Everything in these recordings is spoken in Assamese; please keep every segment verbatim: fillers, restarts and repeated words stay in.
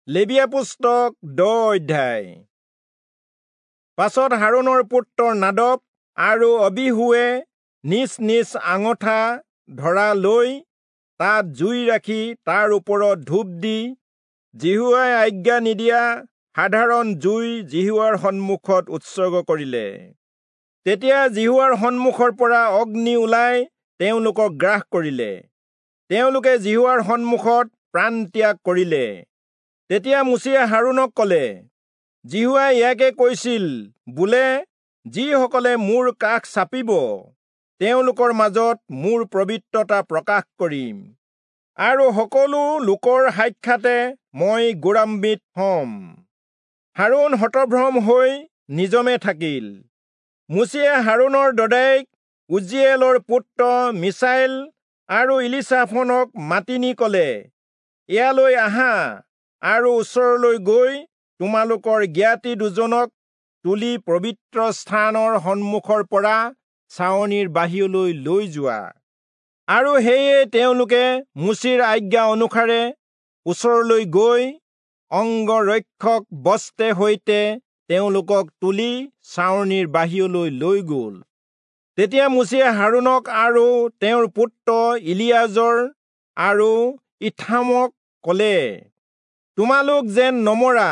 লেবীয়া পুস্তক দহ অধ্যায়। পাছত হাৰোণৰ পুত্ৰ নাদব আৰু অবীহূৱে নিজ নিজ আঙঠা ধৰা লৈ তাত জুই ৰাখি তাৰ ওপৰত ধূপ দি যিহোৱাই আজ্ঞা নিদিয়া সাধাৰণ জুই যিহোৱাৰ সন্মুখত উৎসৰ্গ কৰিলে। তেতিয়া যিহোৱাৰ সন্মুখৰ পৰা অগ্নি ওলাই তেওঁলোকক গ্ৰাস কৰিলে, তেওঁলোকে যিহোৱাৰ সন্মুখত প্ৰাণত্যাগ কৰিলে। তেতিয়া মোচিয়ে হাৰোণক কলে, যিহোৱাই ইয়াকে কৈছিল বোলে, যিসকলে মোৰ কাষ চাপিব তেওঁলোকৰ মাজত মোৰ পবিত্ৰতা প্ৰকাশ কৰিম, আৰু সকলো লোকৰ সাক্ষাতে মই গৌৰৱান্বিত হম। হাৰোণ হতভ্ৰম হৈ নিজমে থাকিল। মোচিয়ে হাৰোণৰ দদায়েক উজ্জীয়েলৰ পুত্ৰ মিছায়েল আৰু ইলিচাফনক মাতি নি কলে, ইয়ালৈ আহা আৰু ওচৰলৈ গৈ তোমালোকৰ জ্ঞাতি দুজনক তুলি পবিত্ৰ স্থানৰ সন্মুখৰ পৰা ছাউনিৰ বাহিৰলৈ লৈ যোৱা। আৰু সেয়ে তেওঁলোকে মোচিৰ আজ্ঞা অনুসাৰে ওচৰলৈ গৈ অঙ্গৰক্ষক বস্ত্ৰে সৈতে তেওঁলোকক তুলি ছাউনিৰ বাহিৰলৈ লৈ গল। তেতিয়া মোচিয়ে হাৰোণক আৰু তেওঁৰ পুত্ৰ ইলিয়াজৰ আৰু ইথামক কলে, তোমালোক যেন নমৰা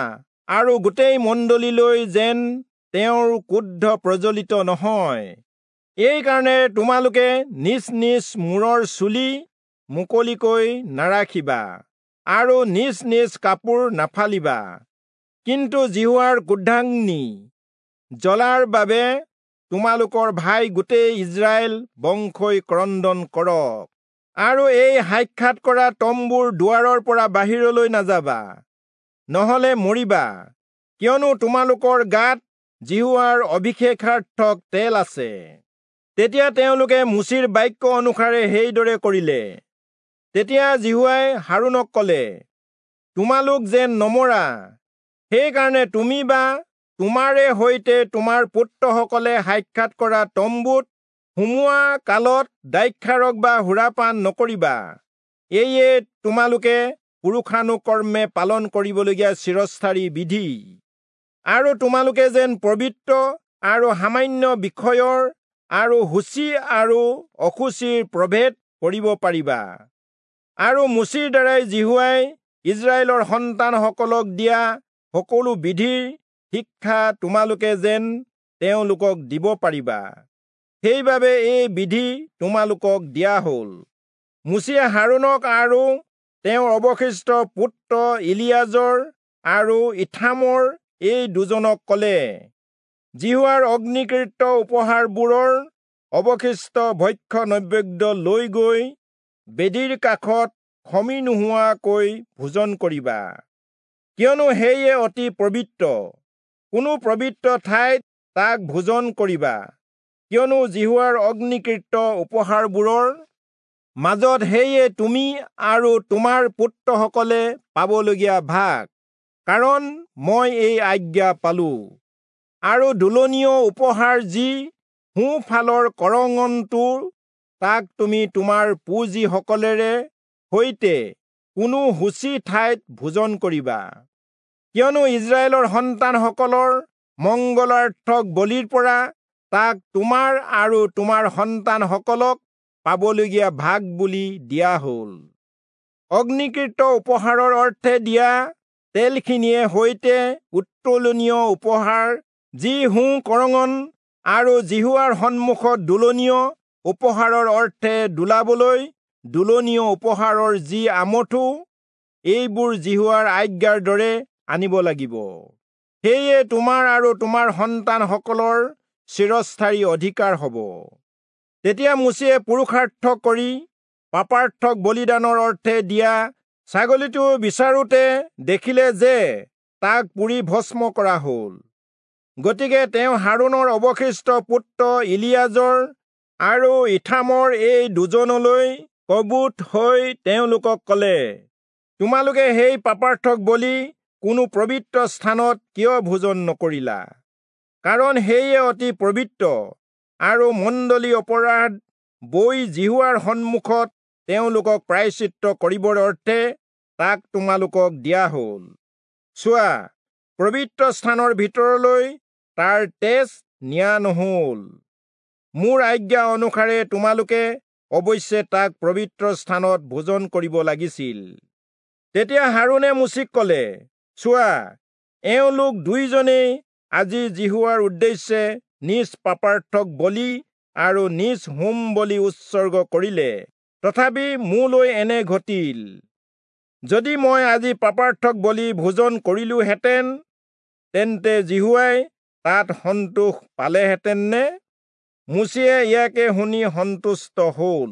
আৰু গোটেই মণ্ডলীলৈ যেন তেওঁৰ ক্ৰোধ প্ৰজ্বলিত নহয়, এইকাৰণে তোমালোকে নিজ নিজ মূৰৰ চুলি মুকলিকৈ নাৰাখিবা আৰু নিজ নিজ কাপোৰ নাফালিবা। কিন্তু যিহোৱাৰ ক্ৰোধাগ্নি জ্বলাৰ বাবে তোমালোকৰ ভাই গোটেই ইস্ৰায়েল বংশই ক্ৰন্দন কৰক। আৰু এই সাক্ষাৎ কৰা তম্বুৰ দুৱাৰৰ পৰা বাহিৰলৈ নাযাবা, নহলে মৰিবা, কিয়নো তোমালোকৰ গাত যিহোৱাৰ অভিষেকাৰ্থক তেল আছে। তেতিয়া তেওঁলোকে মোচিৰ বাক্য অনুসাৰে সেইদৰে কৰিলে। তেতিয়া যিহোৱাই হাৰোণক কলে, তোমালোক যেন নমৰা, সেইকাৰণে তুমি বা তোমাৰে সৈতে তোমাৰ পুত্ৰসকলে সাক্ষাৎ কৰা তম্বুত সোমোৱা কালত দ্ৰাক্ষাৰস বা সুৰাপান নকৰিবা। এয়ে তোমালোকে পুৰুষানুকৰ্মে পালন কৰিবলগীয়া চিৰস্থায়ী বিধি। আৰু তোমালোকে যেন পবিত্ৰ আৰু সামান্য বিষয়ৰ আৰু শুচি আৰু অশুচিৰ প্ৰভেদ কৰিব পাৰিবা। আৰু মোচিৰ দ্বাৰাই যিহোৱাই ইস্ৰায়েলৰ সন্তানসকলক দিয়া সকলো বিধিৰ শিক্ষা তোমালোকে যেন তেওঁলোকক দিব পাৰিবা, সেইবাবে এই বিধি তোমালোকক দিয়া হল। মোচিয়ে হাৰোণক আৰু তেওঁৰ অৱশিষ্ট পুত্ৰ ইলিয়াজৰ আৰু ইথামৰ এই দুজনক কলে, যিহোৱাৰ অগ্নিকৃত উপহাৰবোৰৰ অৱশিষ্ট ভক্ষ্য নৈবেদ্য লৈ গৈ বেদীৰ কাষত খমি নোহোৱাকৈ ভোজন কৰিবা, কিয়নো সেয়ে অতি পবিত্ৰ। কোনো পবিত্ৰ ঠাইত তাক ভোজন কৰিবা, কিয়নো যিহোৱাৰ অগ্নিকৃত উপহাৰবোৰৰ মাজত সেয়ে তুমি আৰু তোমাৰ পুত্ৰসকলে পাবলগীয়া ভাগ, কাৰণ মই এই আজ্ঞা পালো। আৰু দোলনীয় উপহাৰ যি সোঁফালৰ কৰঙণটো, তাক তুমি তোমাৰ পুঁজিসকলেৰে সৈতে কোনো শুচি ঠাইত ভোজন কৰিবা, কিয়নো ইস্ৰায়েলৰ সন্তানসকলৰ মংগলাৰ্থক বলিৰ পৰা তাক তোমাৰ আৰু তোমাৰ সন্তানসকলক পাবলগীয়া ভাগ বুলি দিয়া হল। অগ্নিকৃত উপহাৰৰ অৰ্থে দিয়া তেলখিনিয়ে সৈতে উত্তোলনীয় উপহাৰ যি সোঁ কৰঙণ আৰু যিহোৱাৰ সন্মুখত দোলনীয় উপহাৰৰ অৰ্থে দোলাবলৈ দোলনীয় উপহাৰৰ যি আমঠু, এইবোৰ যিহোৱাৰ আজ্ঞাৰ দৰে আনিব লাগিব। সেয়ে তোমাৰ আৰু তোমাৰ সন্তানসকলৰ চিৰস্থায়ী অধিকাৰ হব। তেতিয়া মোচিয়ে পুৰুষাৰ্থ কৰি পাপাৰ্থক বলিদানৰ অৰ্থে দিয়া ছাগলীটো বিচাৰোঁতে দেখিলে যে তাক পুৰি ভস্ম কৰা হল। গতিকে তেওঁ হাৰোণৰ অৱশিষ্ট পুত্ৰ ইলিয়াজৰ আৰু ইথামৰ এই দুজনলৈ কবুত হৈ তেওঁলোকক কলে, তোমালোকে সেই পাপাৰ্থক বলি কোনো পবিত্ৰ স্থানত কিয় ভোজন নকৰিলা? কাৰণ সেয়ে অতি পবিত্ৰ, আৰু মণ্ডলী অপৰাধ বৈ যিহোৱাৰ সন্মুখত তেওঁলোকক প্ৰায়শ্চিত্ত কৰিবৰ অৰ্থে তাক তোমালোকক দিয়া হল। চোৱা, পবিত্ৰ স্থানৰ ভিতৰলৈ তাৰ তেজ নিয়া নহল। মোৰ আজ্ঞা অনুসাৰে তোমালোকে অৱশ্যে তাক পবিত্ৰ স্থানত ভোজন কৰিব লাগিছিল। তেতিয়া হাৰোণে মোচিক কলে, চোৱা, এওঁলোক দুইজনেই আজি যিহোৱাৰ উদ্দেশ্যে নিজ পাপাৰ্থক বলি আৰু নিজ হোম বলি উৎসৰ্গ কৰিলে, তথাপি মোলৈ এনে ঘটিল। যদি মই আজি পাপাৰ্থক বলি ভোজন কৰিলোহেঁতেন, তেন্তে যিহোৱাই তাত সন্তোষ পালেহেঁতেন নে? মোচিয়ে ইয়াকে শুনি সন্তুষ্ট হল।